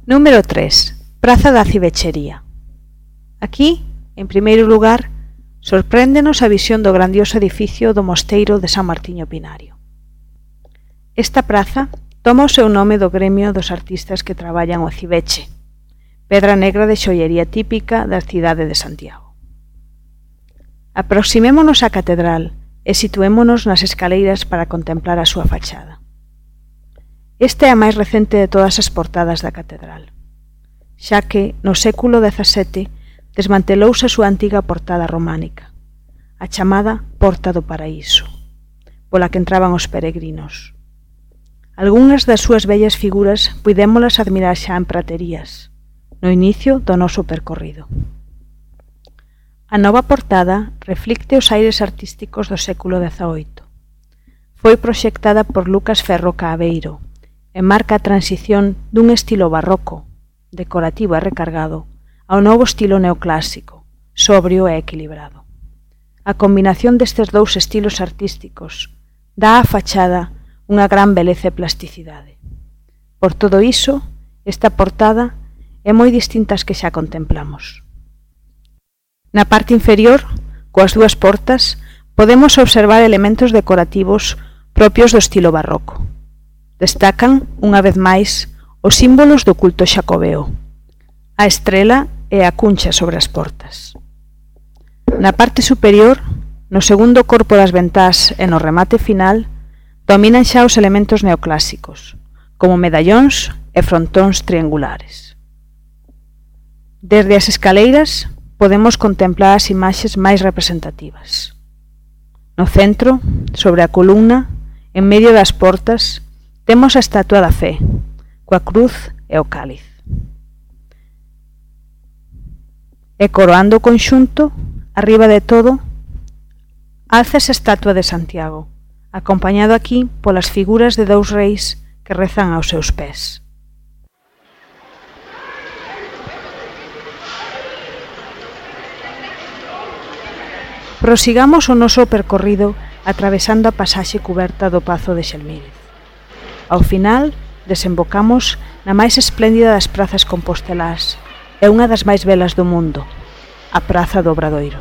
Número 3. Praza da Civechería. Aquí, en primeiro lugar, sorpréndenos a visión do grandioso edificio do Mosteiro de San Martiño Pinario. Esta praza toma o seu nome do gremio dos artistas que traballan o civeche, pedra negra de xoiería típica da cidade de Santiago. Aproximémonos á catedral e situémonos nas escaleiras para contemplar a súa fachada. Esta é a máis recente de todas as portadas da catedral, xa que no século XVII desmantelouse a súa antiga portada románica, a chamada Porta do Paraíso, pola que entraban os peregrinos. Algúnas das súas bellas figuras puidémolas admirar xa en praterías, no inicio do noso percorrido. A nova portada reflicte os aires artísticos do século XVIII. Foi proxectada por Lucas Ferro Caaveiro e marca a transición dun estilo barroco, decorativo e recargado, ao novo estilo neoclásico, sobrio e equilibrado. A combinación destes dous estilos artísticos dá á fachada unha gran beleza e plasticidade. Por todo iso, esta portada é moi distinta ás que xa contemplamos. Na parte inferior, coas dúas portas, podemos observar elementos decorativos propios do estilo barroco. Destacan, unha vez máis, os símbolos do culto xacobeo, a estrela e a cuncha sobre as portas. Na parte superior, no segundo corpo das ventás e no remate final, dominan xa os elementos neoclásicos, como medallóns e frontóns triangulares. Desde as escaleiras podemos contemplar as imaxes máis representativas. No centro, sobre a columna, en medio das portas, temos a estatua da Fe, coa cruz e o cáliz. E coroando o conxunto, arriba de todo, alza esa estatua de Santiago, acompañado aquí polas figuras de dous reis que rezan aos seus pés. Prosigamos o noso percorrido atravesando a pasaxe cuberta do Pazo de Xelmírez. Ao final, desembocamos na máis espléndida das prazas compostelás e unha das máis belas do mundo, a Praza do Obradoiro.